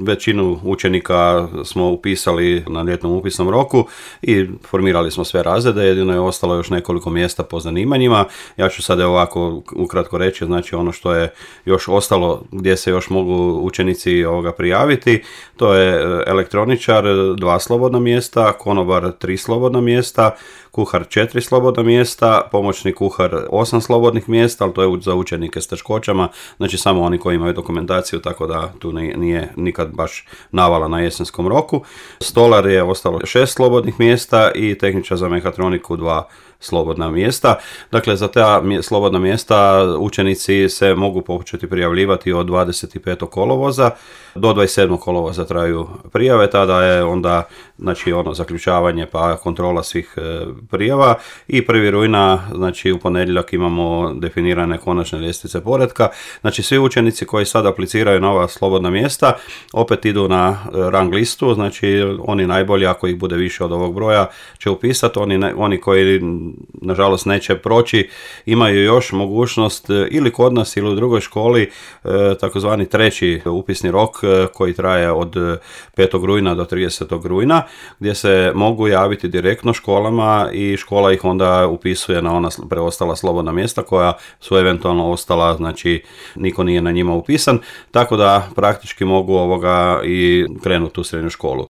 većinu učenika smo upisali na ljetnom upisnom roku i formirali smo sve razrede, jedino je ostalo još nekoliko mjesta po zanimanjima. Ja ću sad ovako ukratko reći, znači ono što je još ostalo gdje se još mogu učenici prijaviti, to je elektroničar 2 slobodna mjesta, konobar 3 slobodna mjesta, kuhar 4 slobodna mjesta, pomoćni kuhar 8 slobodnih mjesta, ali to je za učenike s teškoćama, znači samo oni koji imaju dokumentaciju, tako da tu nije nikad baš navala na jesenskom roku. Stolar je ostalo 6 slobodnih mjesta i tehničar za mehatroniku 2 slobodna mjesta. Dakle, za ta slobodna mjesta učenici se mogu početi prijavljivati od 25. kolovoza do 27. kolovoza traju prijave, tada je onda zaključavanje pa kontrola svih prijava i 1. rujna, znači u ponedjeljak imamo definirane konačne ljestvice poretka. Znači svi učenici koji sad apliciraju na ova slobodna mjesta opet idu na rang listu, znači oni najbolji, ako ih bude više od ovog broja, će upisati, oni koji nažalost neće proći, imaju još mogućnost ili kod nas ili u drugoj školi takozvani 3. upisni rok koji traje od 5. rujna do 30. rujna, gdje se mogu javiti direktno školama i škola ih onda upisuje na ona preostala slobodna mjesta koja su eventualno ostala, znači niko nije na njima upisan, tako da praktički mogu i krenuti u srednju školu.